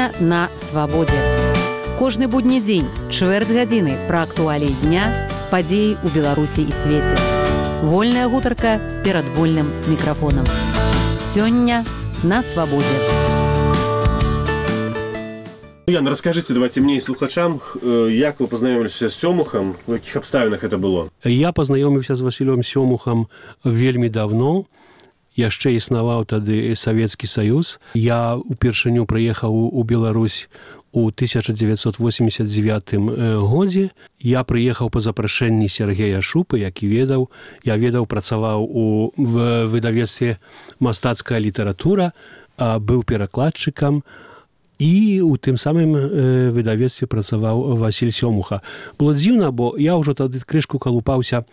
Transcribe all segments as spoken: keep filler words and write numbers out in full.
Сёння на свабодзе. Кожны будні дзень, чвэрць гадзіны пра актуаліі дня, падзеі ў Беларусі і свеце. Вольная гутарка перад вольным мікрафонам. Сёння на свабодзе. Ян, расскажите, давайте мне и слухачам, як вы познаёмились с Сёмухам, в якіх абставінах это было? Я познаёміўся з Васілём Сёмухам вельмі давно. Яшчэ існаваў тады Савецкі Саюз. Я упершыню прыехаў у Беларусь у тысяча дзевяцьсот восемьдесят девятым годзе. Я прыехаў па запрашэнні Сергея Шупы, які ведаў. Я ведаў, працаваў у выдавецтве «Мастацкая літаратура», быў перакладчыкам, і ў тым самым выдавецтве працаваў Васіль Сёмуха. Было дзіўна, бо я ўжо тады крышку калупаўся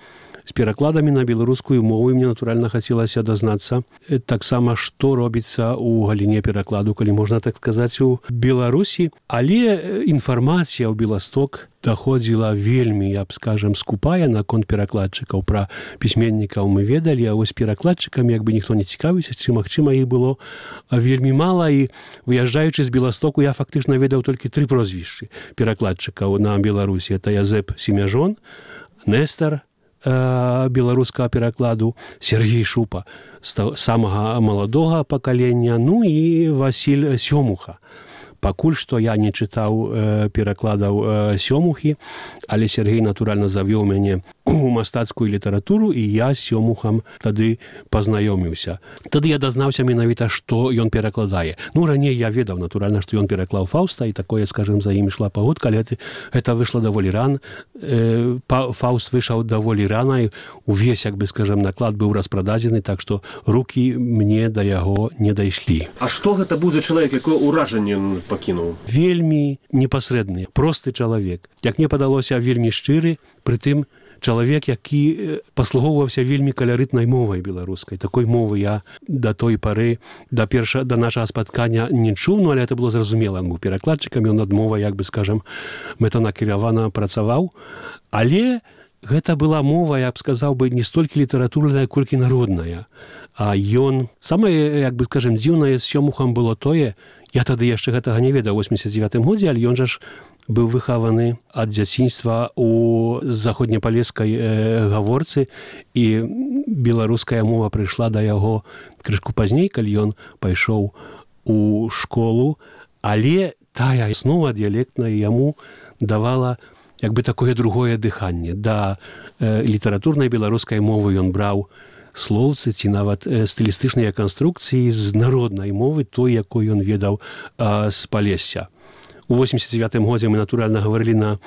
з перакладамі на беларускую мову, і мне, натуральна, хацелася дазнацца таксама, што робіцца ў галіне перакладу, калі можна так сказаць, у Беларусі. Але інфармацыя ў Беласток даходзіла вельмі, я б скажам, скупая наконт перакладчыкаў. Пра пісьменнікаў мы ведалі, а вось перакладчыкамі як бы ніхто не цікавіўся, ці, магчыма, іх было вельмі мала, і выязджаючы з Беластоку я фактычна ведаў толькі тры прозвішчы перакладчыкаў на Беларусі. Это Язэп Семяжон, Нестар беларускага перакладу, Сергей Шупа з самага маладога пакалення, ну і Васіль Сёмуха. Пакуль што я не чытаў перакладаў Сёмухі, але Сергей, натуральна, завёў мяне у мастацкую літаратуру, і я з Сёмухам тады пазнаёміўся. Тады я дазнаўся менавіта, што ён перакладае. Ну, раней я ведаў, натуральна, што ён пераклаў Фаўста, і такое, скажем, за ім ішла пагодка, але гэта выйшла даволі рана. Фаўст выйшаў даволі рана, і увесь, як бы, скажем, наклад быў распрададзены, так што рукі мне да яго не дайшлі. А што гэта быў за чалавек, якое ўражанне ён пакінуў? Вельмі непасрэдны, просты чалавек. Як мне падалося, вельмі шчыры, прытым чалавек, які паслугоўваўся вельмі каларытнай мовай беларускай. Такой мовы я да той пары, да перша, да нашага спаткання не чуў, ну, але это было зразумела. Он быў перакладчыкам, ён над мовай, як бы, скажам, мэтанакіравана працаваў. Але гэта была мова, я б сказаў бы, не столькі літаратурная, колькі народная. А ён... Самае, як бы, скажем, дзіўнае з Сёмухам было тое, я тады яшчэ гэтага не ведаў у восемьдесят девятым годзе, але ён жа ж быў выхаваны ад дзяцінства у заходнепалескай э, гаворцы, і беларуская мова прыйшла да яго крышку пазней, калі ён пайшоў у школу, але тая аснова дыялектная яму давала як бы такое другое дыханне. Да э, літаратурнай беларускай мовы ён браў слоўцы ці нават э, стылістычныя канструкцыі з народнай мовы, той, якой ён ведаў э, з Палесся. У восемьдесят девятым годзе мы, натуральна, гаварылі на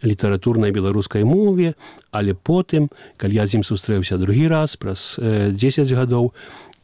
літаратурнай беларускай мове, але потым, калі я з ім сустрэўся другі раз, праз э, дзесяць гадоў,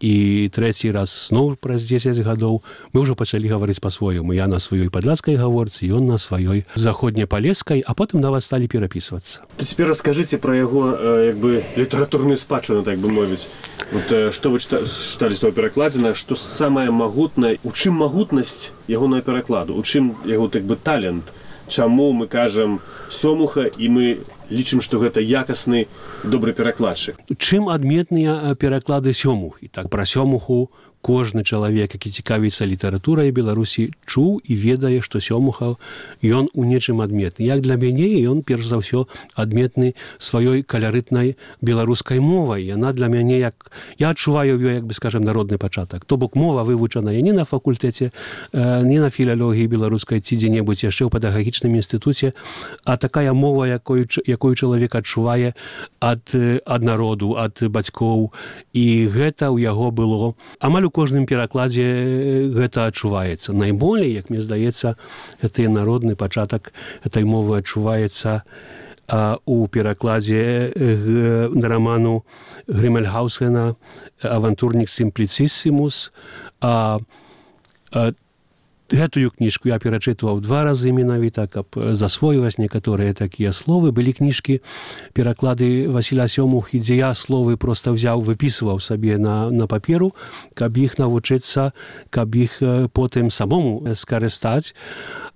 і трэці раз зноў праз дзесяць гадоў, мы ўжо пачалі гаварыць па-свойму. Я на сваёй падляцкай гаворцы, ён на сваёй заходнепалескай, а потым нават сталі перапісвацца. То цяпер раскажыце пра яго, як бы, літаратурную спадчыну, так бы мовіць. Вот, што вы чыталі з таго перакладзена, што самае магутнае, у чым магутнасць ягонага перакладу, у чым яго, так бы, талент? Чаму мы кажам Сёмуха, і мы лічым, што гэта якасны, добры перакладчык? Чым адметныя пераклады Сёмухі? Так, пра Сёмуху кожны чалавек, які цікавіцца літаратурай Беларусі, чуў і ведае, што Сёмуха ён у нечым адметны. Як для мяне, ён перш за ўсё адметны сваёй каларытнай беларускай мовай. Яна для мяне, як я адчуваю ёй, як бы, скажем, народны пачатак. То бок мова вывучаная не на факультэце, не на філалогіі беларускай ці дзе-небудзь яшчэ ў педагагічным інстытуце, а такая мова, якой, якой чалавек адчувае ад, ад народу, ад бацькоў. І гэта ў яго было амаль у кожным перакладзе гэта адчуваецца. Найболей, як мне здаецца, гэта народны пачатак этой мовы адчуваецца а, у перакладзе г, роману Грымельхаусена «Авантурник Симплициссимус». А, а, гэтую кніжку я перачытваў два разы менавіта, каб засвойваць некаторыя такія словы. Былі кніжкі, пераклады Васіля Сёмухі, дзе я словы проста взяў, выпісваў сабе на, на паперу, каб іх навучыцца, каб іх потым самому скарыстаць.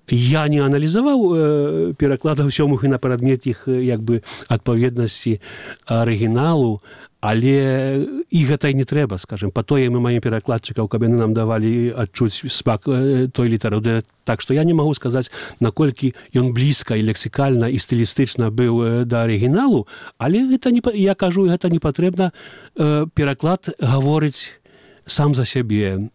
Я не аналізаваў э, перакладаў сёмых і на прадмет іх як бы адпаведнасці арыгіналу, але і гэта і не трэба, скажем, па тое мы маем перакладчыкаў, каб яны нам давалі адчуць смак той літаратуры. Так што я не магу сказаць, наколькі ён блізка і лексікальна і стылістычна быў да арыгіналу, але гэта не, я кажу, гэта не патрэбна. Пераклад гаворыць сам за сябе.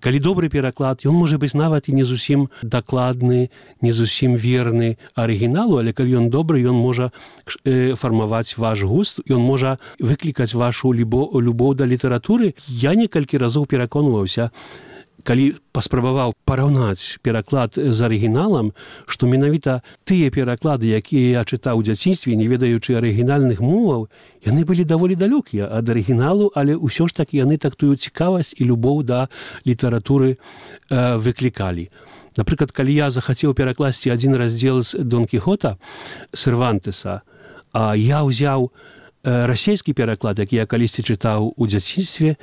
Калі добры пераклад, ён можа быць нават і не зусім дакладны, не зусім верны арыгіналу, але калі ён добры, ён можа фармаваць ваш густ, ён можа выклікаць вашу любоў да літаратуры. Я некалькі разоў пераконваўся, калі паспрабаваў параўнаць пераклад з арыгіналам, што менавіта тыя пераклады, якія я чытаў у дзяцінстве, не ведаючы арыгінальных моваў, яны былі даволі далёкія ад арыгіналу, але ўсё ж такі яны тактую цікавасць і любоў да літаратуры э, выклікалі. Напрыклад, калі я захацеў перакласці адзін раздзел з Дон Кіхота Сервантеса, а я ўзяў расійскі пераклад, які я калісьці чытаў у дзяцінстве,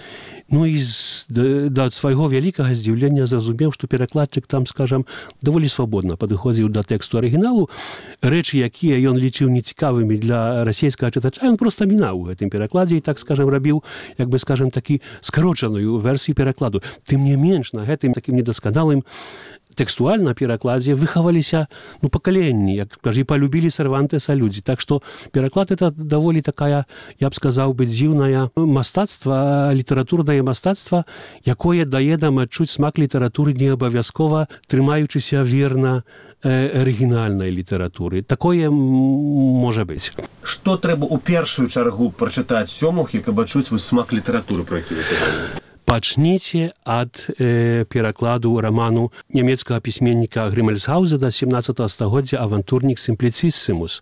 ну і з, да свайго вялікага здзіўлення зразумеў, што перакладчык там, скажам, даволі свабодна падыходзіў да тэксту арыгіналу. Рэчы, якія ён лічыў нецікавымі для расійскага чытача, ён проста мінаў у гэтым перакладзе і, так скажам, рабіў, як бы, скажам, такі скарочаную версію перакладу. Тым не менш, на гэтым такім недасканалым тэкстуальна перакладзе выхаваліся, ну, пакаленні, як кажа, і палюбілі Сервантеса людзі. Так што пераклад это даволі такая, я б сказаў бы, дзіўнае мастацтва, літаратурнае мастацтва, якое дае нам адчуць смак літаратуры не абавязкова, трымаючыся верна арыгінальнай літаратуры. Такое можа быць. Што трэба ў першую чаргу прачытаць сёмухі, каб адчуць смак літаратуры, про які вы казалі? Пачніце ад э, перакладу раману нямецкага пісьменніка Грымельсгаузена семнадцатага стагоддзя «Авантурнік сімпліцісімус».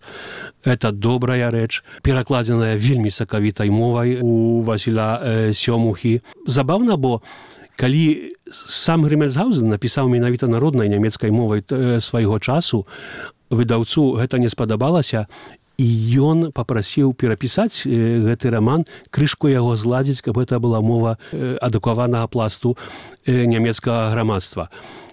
Это добрая рэч, перакладзеная вельмі сакавітай мовай у Васіля э, Сёмухі. Забаўна, бо калі сам Грымельсгаузен напісаў менавіта народнай нямецкай мовай э, свайго часу, выдаўцу гэта не спадабалася, і ён папрасіў перапісаць э, гэты раман, крышку яго зладзіць, каб гэта была мова э, адукаванага пласту э, нямецкага грамадства.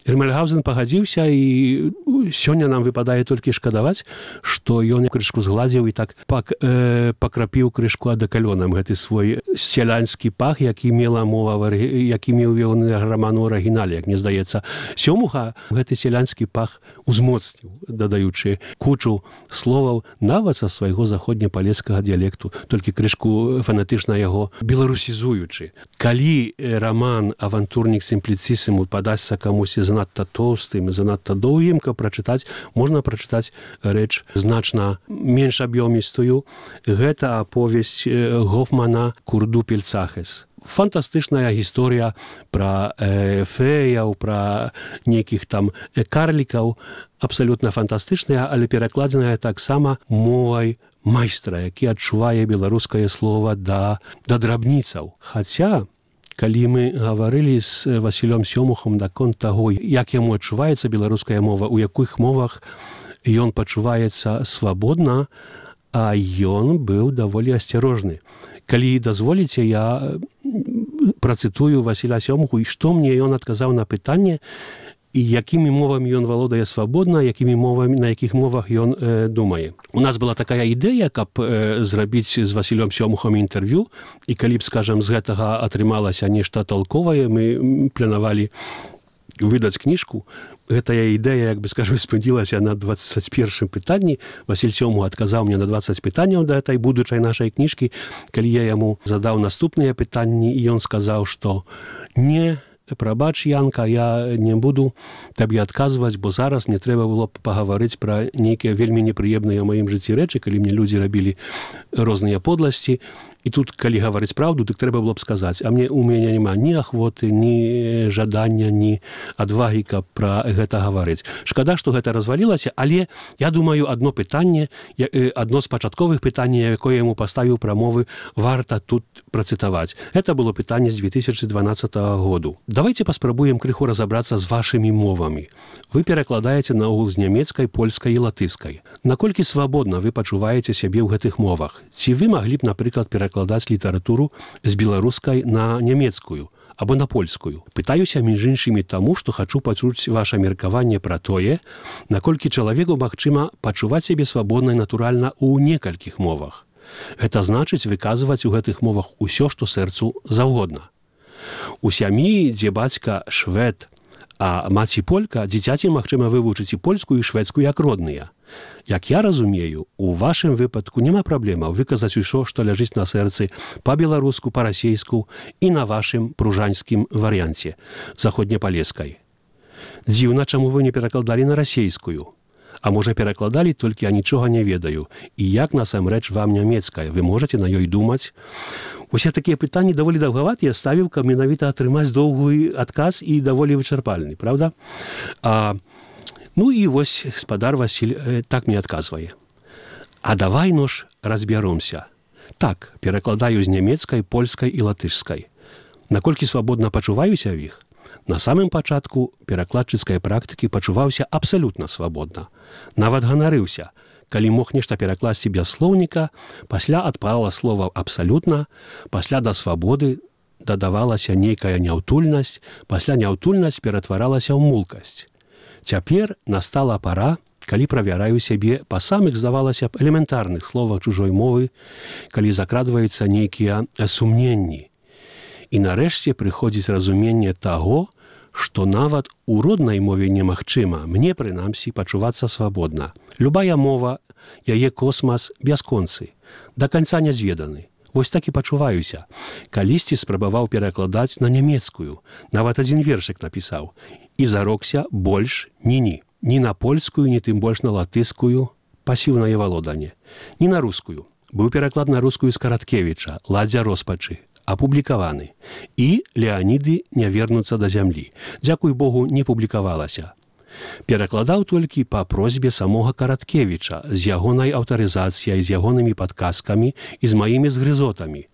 Грымельсгаузен пагадзіўся, і сёння нам выпадае толькі шкадаваць, што ён крышку згладзіў і так пак, э, пакрапіў крышку адакалёнам гэты свой сялянскі пах, які мела мова, які меў ён раман у арыгінале, як мне здаецца. Сёмуха гэты сялянскі пах узмоцніў, дадаючы кучу словаў нават са свайго заходнепалескага дыялекту, толькі крышку фанатычна яго беларусізуючы. Калі раман «Авантурнік сімпліцісімус» падасся камусьці занадта тоўстым, занадта доўгім, каб прачытаць, можна прачытаць рэч значна менш аб'ёмістую. Гэта аповесць Гофмана «Курду Пельцахес». Фантастычная гісторыя пра э, феяў, пра нейкіх там карлікаў, абсалютна фантастычная, але перакладзеная таксама мовай майстра, які адчувае беларускае слова да, да драбніцаў. Хаця, калі мы гаварылі з Васілём Сёмухам наконт таго, як яму адчуваецца беларуская мова, у якіх мовах ён пачуваецца свабодна, а ён быў даволі асцярожны. Калі дазволіце, я працытую Васіля Сёмуху, і што мне ён адказаў на пытанне, і якімі мовамі ён валодае свабодна, якімі мовамі, на якіх мовах ён э, думае. У нас была такая ідэя, каб э, зрабіць з Васілём Сёмухам інтэрв'ю, і калі б, скажам, з гэтага атрымалася нешта толковае, мы планавалі выдаць кніжку. Гэтая ідэя, як бы, скажу, спынілася на дваццаць першым пытанні. Васіль Сёмух адказаў мне на дваццаць пытанняў да этой будучай нашай кніжкі. Калі я яму задаў наступныя пытанні, і ён сказаў, што не, прабач, Янка, я не буду табе адказваць, бо зараз мне трэба было пагаварыць пра нейкія вельмі непрыемныя ў маім жыцці рэчы, калі мне людзі рабілі розныя подласці. І тут, калі гаварыць праўду, дык трэба было б сказаць, а мне у мяне няма ні ахвоты, ні жадання, ні адвагі, каб пра гэта гаварыць. Шкада, што гэта развалілася, але я думаю, адно пытанне, адно з пачатковых пытанняў, якое яму паставіў прамовы, варта тут працытаваць. Гэта было пытанне з две тысячы дванаццатага году. Давайте паспрабуем крыху разабрацца з вашымі мовамі. Вы перакладаеце наогул з нямецкай, польскай і латышскай. Наколькі свабодна вы пачуваеце сябе ў гэтых мовах? Ці вы маглі б, напрыклад, перакладаць літаратуру з беларускай на нямецкую, або на польскую. Пытаюся між іншымі таму, што хачу пачуць ваша меркаванне пра тое, наколькі чалавеку магчыма пачуваць сябе свабодна і натуральна ў некалькіх мовах. Гэта значыць выказваць у гэтых мовах усё, што сэрцу заўгодна. У сям'і, дзе бацька швед, а маці полька, дзіцяці магчыма вывучыць і польскую, і шведскую як родныя. Як я разумею, у вашым выпадку няма праблемаў выказаць усё, што ляжыць на сэрцы па-беларуску, па-расейску і на вашым пружанскім варыянце, заходнепалескай. Дзіўна, чаму вы не перакладалі на расейскую? А можа, перакладалі, толькі я нічога не ведаю. І як насамрэч вам нямецкая? Вы можаце на ёй думаць? Усе такія пытанні даволі даўгаватыя, ставіў, каб менавіта атрымаць доўгі адказ і даволі вычарпальны, правда? А Ну і вось спадар Васіль э, так мне адказвае. А давай, ну ж, разбяромся. Так, перакладаю з нямецкай, польскай і латышскай. Наколькі свабодна пачуваюся ў іх? На самым пачатку перакладчыцкай практыкі пачуваўся абсалютна свабодна. Нават ганарыўся. Калі мог нешта перакласці без слоўніка, пасля адпала слова абсалютна, пасля да свабоды дадавалася нейкая няўтульнасць, пасля няўтульнасць ператваралася ў мулкасць. Цяпер настала пара, калі правяраю сябе па самых, здавалася б, элементарных словах чужой мовы, калі закрадваюцца нейкія сумненні. І нарэшце прыходзіць разуменне таго, што нават у роднай мове немагчыма, мне, прынамсі, пачувацца свабодна. Любая мова, яе космас бясконцы, да канца не зведаны. Вось так і пачуваюся. Калісьці спрабаваў перакладаць на нямецкую. Нават адзін вершык напісаў. І зарокся больш ні-ні. Ні на польскую, ні тым больш на латыскую, пасіўнае валоданне. Ні на рускую. Быў пераклад на рускую з Караткевіча, «Ладдзя роспачы», апублікаваны. І «Леаніды не вернуцца да зямлі». Дзякуй Богу, не публікавалася. Перакладаў толькі па просьбе самога Караткевіча, з ягонай аўтарызацыяй, з ягонымі падказкамі і з маімі згрызотамі,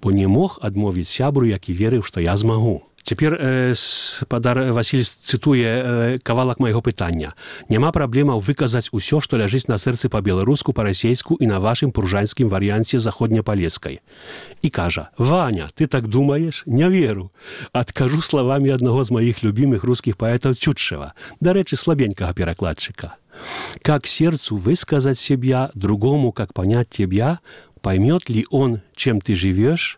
бо не мог адмовіць сябру, які верыў, што я змагу. Цяпер э, спадар Васіль цытуе э, кавалак майго пытання. Няма праблемаў выказаць усё, што ляжыць на сэрцы па-беларуску, па-расейску і на вашым пружанскім варыянце заходнепалескай. І кажа: «Ваня, ты так думаеш? Не веру. Адкажу словамі аднаго з маіх любімых рускіх паэтаў Цютчева, дарэчы, слабенькага перакладчыка. Как сердцу высказать себя, другому, как понять тебя, поймет ли он, чем ты живешь,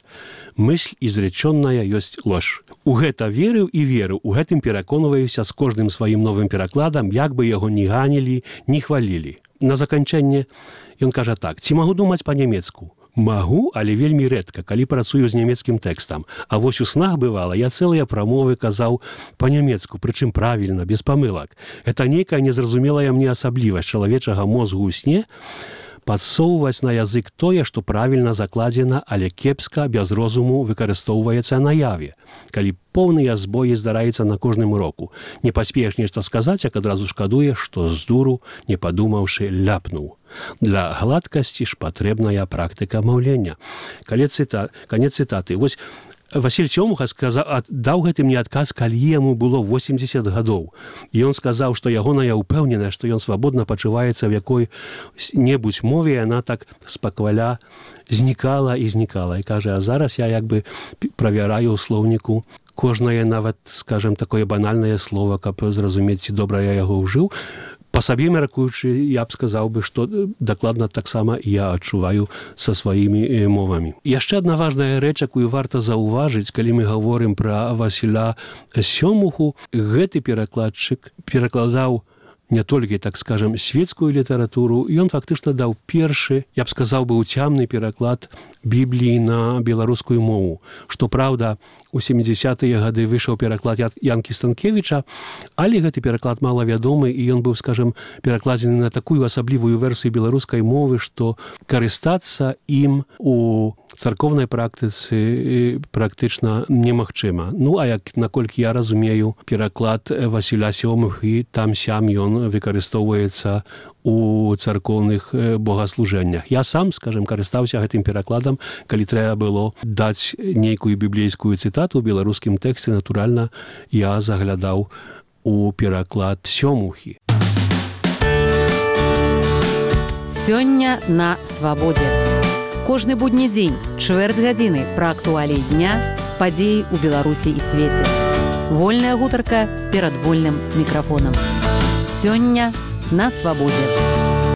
мысль изреченная есть ложь». У гэта верыў і верыў, у гэтым пераконваюся з кожным сваім новым перакладам, як бы яго не ганілі, не хвалілі. На заканчэнне ён кажа так: «Ці магу думаць па-нямецку? Магу, але вельмі рэдка, калі працую з нямецкім тэкстам. А вось у снах бывала, я цэлыя прамовы казаў па-нямецку, прычым правільна, без памылак. Это нейкая незразумелая мне асаблівасць чалавечага мозгу ў сне, падсоўваць на язык тое, што правільна закладзена, але кепска, без розуму выкарыстоўваецца наяве, калі поўныя збоі здараецца на кожным уроку. Не паспееш нешта сказаць, як адразу шкадуеш, што з дуру, не падумаўшы, ляпнуў. Для гладкасці ж патрэбная практыка маўлення». Канец цытаты. Вось Васіль Сёмуха сказаў, даў гэты мне адказ, калі яму было восемьдесят гадоў. І ён сказаў, што ягоная ўпэўненая, што ён свабодна пачуваецца в якой-небудзь мове, яна так спакваля знікала і знікала. І кажа: «А зараз я як бы правяраю ў слоўніку кожнае, нават, скажем, такое банальнае слово, каб зразумець, ці добра я яго ўжыў». Па сабе меркуючы, я б сказаў бы, што дакладна таксама я адчуваю са сваімі мовамі. Яшчэ адна важная рэч, якую варта заўважыць, калі мы гаворым пра Васіля Сёмуху, гэты перакладчык перакладаў не толькі, так скажем, светскую літаратуру, ён фактычна даў першы, я б сказаў бы, уцямны пераклад Бібліі на беларускую мову. Што праўда, у сямідзесятыя гады выйшаў пераклад Янкі Станкевіча, але гэты пераклад малавядомы, і ён быў, скажем, перакладзены на такую асаблівую версію беларускай мовы, што карыстацца ім у царкоўнай практыцы практычна немагчыма. Ну, а як, наколькі я разумею, пераклад Васіля Сёмухі, там-сям ён выкарыстоўваецца у царкоўных богаслужэннях. Я сам, скажем, карыстаўся гэтым перакладам, калі трэба было даць нейкую біблейскую цытату ў беларускім тэксце, натуральна, я заглядаў у пераклад Сёмухі. Сёння на свабодзе. Кожны будні дзень, чвэрць гадзіны пра актуаліі дня, падзеі ў Беларусі і свеце. Вольная гутарка перад вольным мікрафонам. Сёння на свабодзе.